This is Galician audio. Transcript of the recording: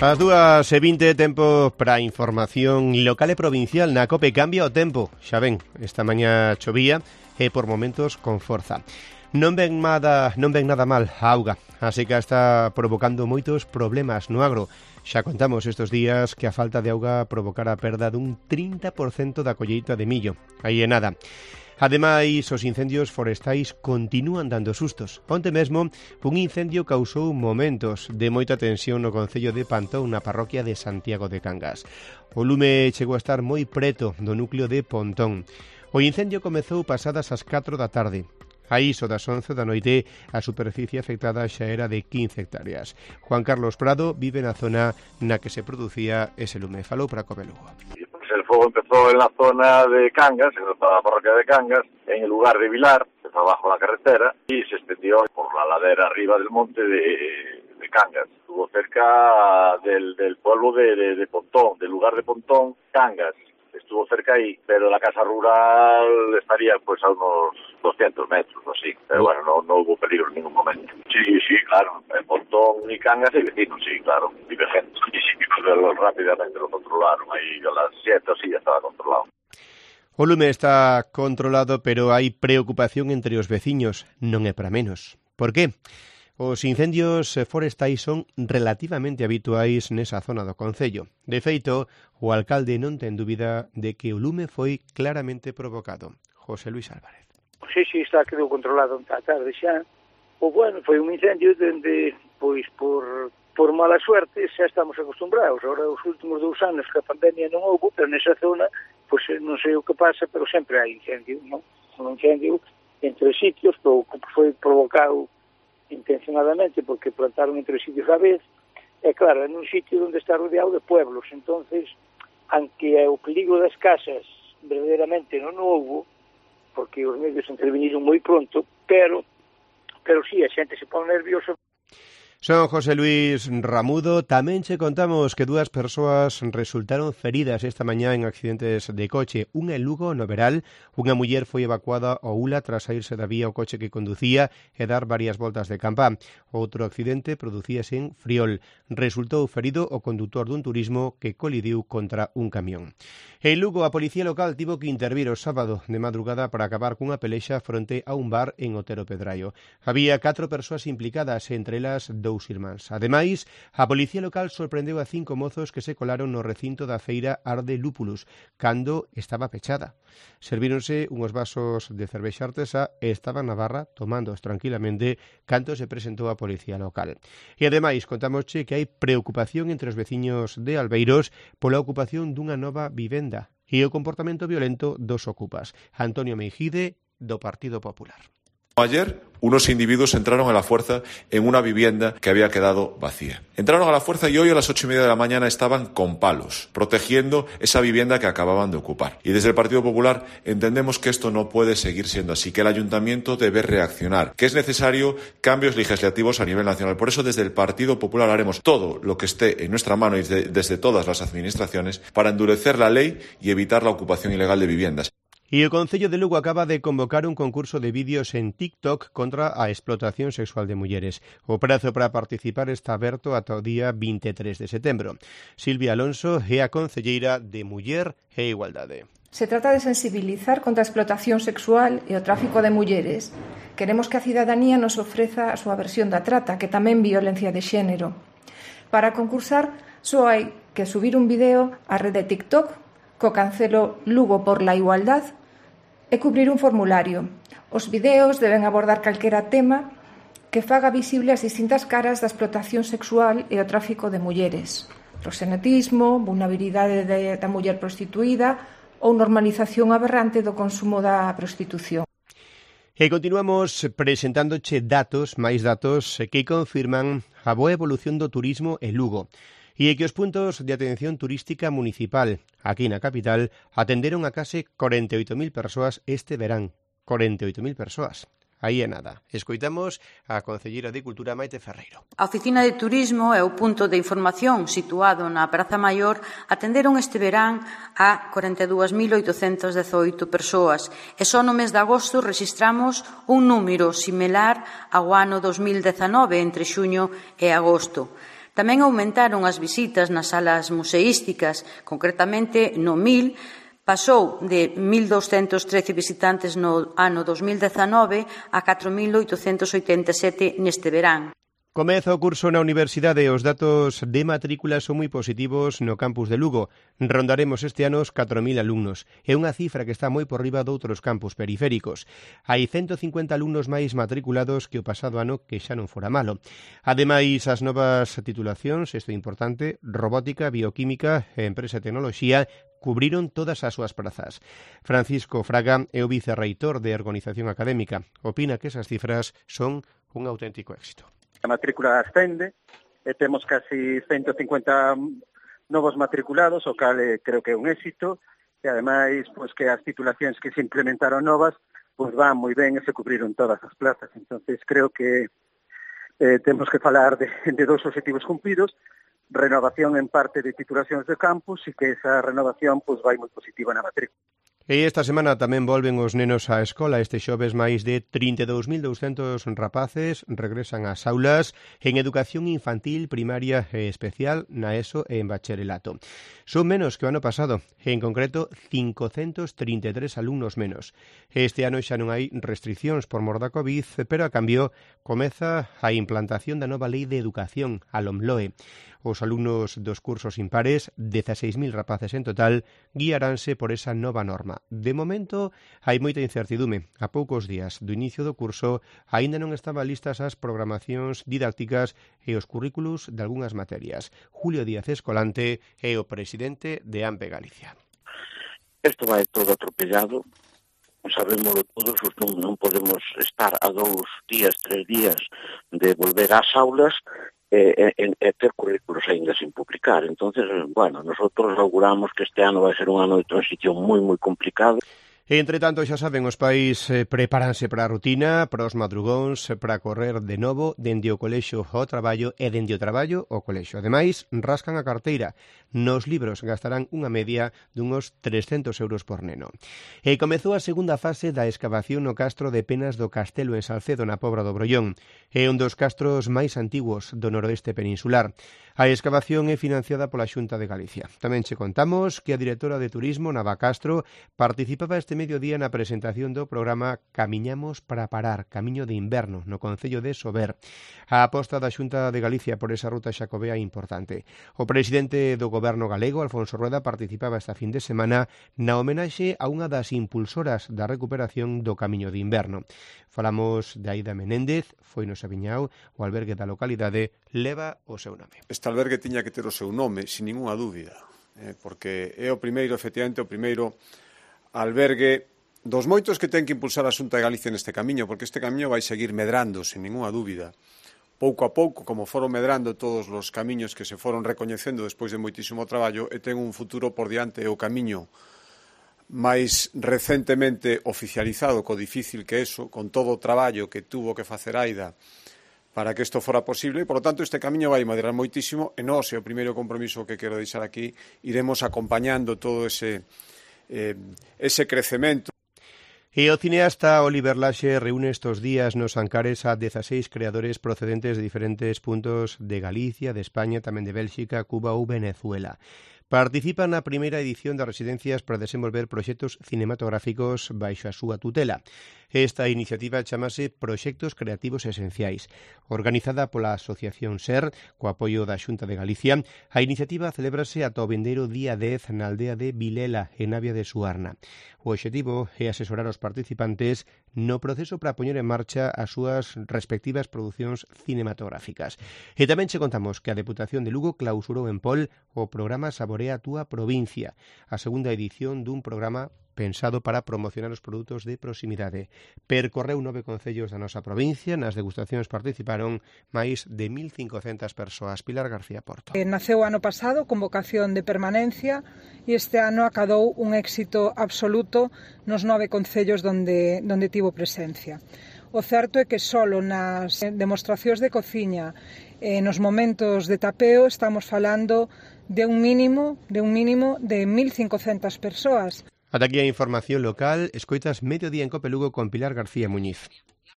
As 2:20, tempo para información local e provincial na COPE. Cambia o tempo, xa ven, esta mañá chovía e por momentos con forza. Non ven nada mal a auga, a seca está provocando moitos problemas no agro. Xa contamos estes días que a falta de auga provocara a perda dun 30% da colleita de millo. Aí é nada. Ademais, os incendios forestais continúan dando sustos. Onte mesmo, un incendio causou momentos de moita tensión no concello de Pantón, na parroquia de Santiago de Cangas. O lume chegou a estar moi preto do núcleo de Pontón. O incendio comezou pasadas as 4 da tarde. A iso das 11 da noite, a superficie afectada xa era de 15 hectáreas. Juan Carlos Prado vive na zona na que se producía ese lume. Falou para COPE Lugo. El fuego empezó en la zona de Cangas, en la parroquia de Cangas, en el lugar de Vilar, que está bajo la carretera, y se extendió por la ladera arriba del monte de Cangas. Estuvo cerca del pueblo de Pontón, del lugar de Pontón, Cangas. Estuvo cerca ahí, pero la casa rural estaría pues a unos 200 metros o así. Pero bueno, no hubo peligro en ningún momento. Sí, claro. En Pontón y Cangas hay vecinos, sí, claro. Vive gente. Y sí, rápidamente lo controlaron. Ahí a las 7 o sí ya estaba controlado. O lume está controlado, pero hai preocupación entre os veciños. Non é para menos. Por qué? Os incendios forestais son relativamente habituais nesa zona do concello. De feito, o alcalde non ten dúbida de que o lume foi claramente provocado. José Luis Álvarez. Sí, está quedou controlado a tarde xa. O bueno, foi un incendio donde, pois, por mala suerte, xa estamos acostumbrados. Ahora, os últimos 2 anos que a pandemia non houve, pero nesa zona, pois non sei o que pasa, pero sempre hai incendio, non? Un incendio entre sitios, que foi provocado intencionadamente porque plantaron entre sitios a vez, e claro, en un sitio onde está rodeado de pueblos, entonces, aunque o peligro das casas verdadeiramente non houve, porque os medios interveniron moi pronto, pero sí, a xente se pone nerviosa. Son José Luis Ramudo. Tamén che contamos que 2 persoas resultaron feridas esta mañá en accidentes de coche. Unha en Lugo, no Veral. Unha muller foi evacuada ao Ula tras saírse da vía o coche que conducía e dar varias voltas de campa. Outro accidente producíase en Friol. Resultou ferido o condutor dun turismo que colidiu contra un camión. En Lugo, a policía local tivo que intervir o sábado de madrugada para acabar cunha pelexa fronte a un bar en Otero Pedraio. Había 4 persoas implicadas, entre elas 2 irmáns. Ademais, a policía local sorprendeu a 5 mozos que se colaron no recinto da feira Arde Lúpulus, cando estaba pechada. Servíronse unhos vasos de cervexa artesá e estaban na barra tomándoos tranquilamente cando se presentou a policía local. E ademais, contámosche que hai preocupación entre os veciños de Albeiros pola ocupación dunha nova vivenda e o comportamento violento dos ocupas. Antonio Meijide, do Partido Popular. Ayer, unos individuos entraron a la fuerza en una vivienda que había quedado vacía. Entraron a la fuerza y hoy a las 8:30 de la mañana estaban con palos, protegiendo esa vivienda que acababan de ocupar. Y desde el Partido Popular entendemos que esto no puede seguir siendo así, que el Ayuntamiento debe reaccionar, que es necesario cambios legislativos a nivel nacional. Por eso, desde el Partido Popular haremos todo lo que esté en nuestra mano y desde todas las administraciones para endurecer la ley y evitar la ocupación ilegal de viviendas. E o Concello de Lugo acaba de convocar un concurso de vídeos en TikTok contra a explotación sexual de mulleres. O prazo para participar está aberto ata o día 23 de setembro. Silvia Alonso é a concelleira de Muller e Igualdade. Se trata de sensibilizar contra a explotación sexual e o tráfico de mulleres. Queremos que a cidadanía nos ofreza a súa versión da trata, que tamén violencia de xénero. Para concursar, só hai que subir un vídeo á rede TikTok co cancelo Lugo por la Igualdad e cubrir un formulario. Os videos deben abordar calquera tema que faga visible as distintas caras da explotación sexual e o tráfico de mulleres. Proxenetismo, vulnerabilidade da muller prostituída ou normalización aberrante do consumo da prostitución. E continuamos presentándoche máis datos que confirman a boa evolución do turismo en Lugo. E que os puntos de atención turística municipal aquí na capital atenderon a case 48.000 persoas este verán. 48.000 persoas. Aí é nada. Escoitamos a concelleira de Cultura, Maite Ferreiro. A Oficina de Turismo e o punto de información situado na Praza Maior atenderon este verán a 42.818 persoas e só no mes de agosto rexistramos un número similar ao ano 2019 entre xuño e agosto. Tamén aumentaron as visitas nas salas museísticas, concretamente no 1000, pasou de 1.213 visitantes no ano 2019 a 4.887 neste verán. Comeza o curso na universidade e os datos de matrícula son moi positivos no campus de Lugo. Rondaremos este ano os 4.000 alumnos. É unha cifra que está moi por riba doutros campus periféricos. Hai 150 alumnos máis matriculados que o pasado ano, que xa non fora malo. Ademais, as novas titulacións, isto é importante, robótica, bioquímica e empresa e tecnoloxía, cubriron todas as súas prazas. Francisco Fraga é o vicerreitor de Organización Académica. Opina que esas cifras son un auténtico éxito. A matrícula ascende e temos casi 150 novos matriculados, o cal creo que é un éxito, e ademais pois, que as titulacións que se implementaron novas pois van moi ben e se cubriron todas as plazas. Entonces creo que temos que falar de dos objetivos cumpridos, renovación en parte de titulacións de campus e que esa renovación pois, vai moi positiva na matrícula. E esta semana tamén volven os nenos á escola. Este xoves máis de 32.200 rapaces regresan ás aulas en educación infantil, primaria e especial, na ESO e en bacharelato. Son menos que o ano pasado, en concreto 533 alumnos menos. Este ano xa non hai restriccións por mor da Covid, pero a cambio comeza a implantación da nova lei de educación, a LOMLOE. Os alumnos dos cursos impares, 16.000 rapaces en total, guiaránse por esa nova norma. De momento, hai moita incertidume. A poucos días do inicio do curso, aínda non estaban listas as programacións didácticas e os currículos de algunhas materias. Julio Díaz Escolante é o presidente de AMPE Galicia. Isto vai todo atropellado, sabémoslo todos, non podemos estar a 2 días, 3 días de volver ás aulas e ter currículos ainda sin publicar. Entonces, bueno, nosotros auguramos que este ano vai ser un ano de transición moi, moi complicado. Entre tanto, xa saben, os pais prepáranse para a rutina, para os madrugóns, para correr de novo dende o colexio ao traballo e dende o traballo ao colexio. Ademais, rascan a carteira. Nos libros gastarán unha media dunhos 300 euros por neno. E comezou a segunda fase da escavación no castro de Penas do Castelo en Salcedo, na Pobra do Brollón. É un dos castros máis antigos do noroeste peninsular. A escavación é financiada pola Xunta de Galicia. Tamén che contamos que a directora de Turismo, Nava Castro, participaba este mediodía na presentación do programa Camiñamos para parar, camiño de inverno, no concello de Sober. A aposta da Xunta de Galicia por esa ruta xacobea é importante. O presidente do Goberno galego, Alfonso Rueda, participaba esta fin de semana na homenaxe a unha das impulsoras da recuperación do camiño de inverno. Falamos de Aida Menéndez, foi no Sabiñao, o albergue da localidade leva o seu nome. Este albergue tiña que ter o seu nome, sin ninguna dúbida, porque é o primeiro, efectivamente, o primeiro albergue dos moitos que ten que impulsar a Xunta de Galicia neste camiño, porque este camiño vai seguir medrando, sin ninguna dúbida. Pouco a pouco, como foron medrando todos os camiños que se foron recoñecendo despois de moitísimo traballo, e ten un futuro por diante, o camiño máis recentemente oficializado, co difícil que eso, con todo o traballo que tuvo que facer Aida para que isto fora posible, e, por lo tanto, este camiño vai madrar moitísimo, e nós, é o primeiro compromiso que quero deixar aquí, iremos acompañando todo ese crecemento. E o cineasta Oliver Laxe reúne estos días nos Ancares a 16 creadores procedentes de diferentes puntos de Galicia, de España, tamén de Bélxica, Cuba ou Venezuela. Participa na primeira edición das residencias para desenvolver proxectos cinematográficos baixo a súa tutela. Esta iniciativa chamase Proxectos Creativos Esenciais. Organizada pola Asociación SER, co apoio da Xunta de Galicia, a iniciativa celébrase ata o vindeiro día 10 na aldea de Vilela, en Navia de Suarna. O obxectivo é asesorar os participantes no proceso para poñer en marcha as súas respectivas producións cinematográficas. E tamén che contamos que a Deputación de Lugo clausurou en Pol o programa Saborea a túa provincia, a segunda edición dun programa pensado para promocionar os produtos de proximidade. Percorreu 9 concellos da nosa provincia, nas degustacións participaron máis de 1.500 persoas. Pilar García Porto. Naceu ano pasado con vocación de permanencia e este ano acadou un éxito absoluto nos 9 concellos donde tivo presencia. O certo é que solo nas demostracións de cociña nos momentos de tapeo estamos falando de un mínimo de 1.500 persoas. Ata aquí a información local, escoitas Mediodía en Cope Lugo con Pilar García Muñiz.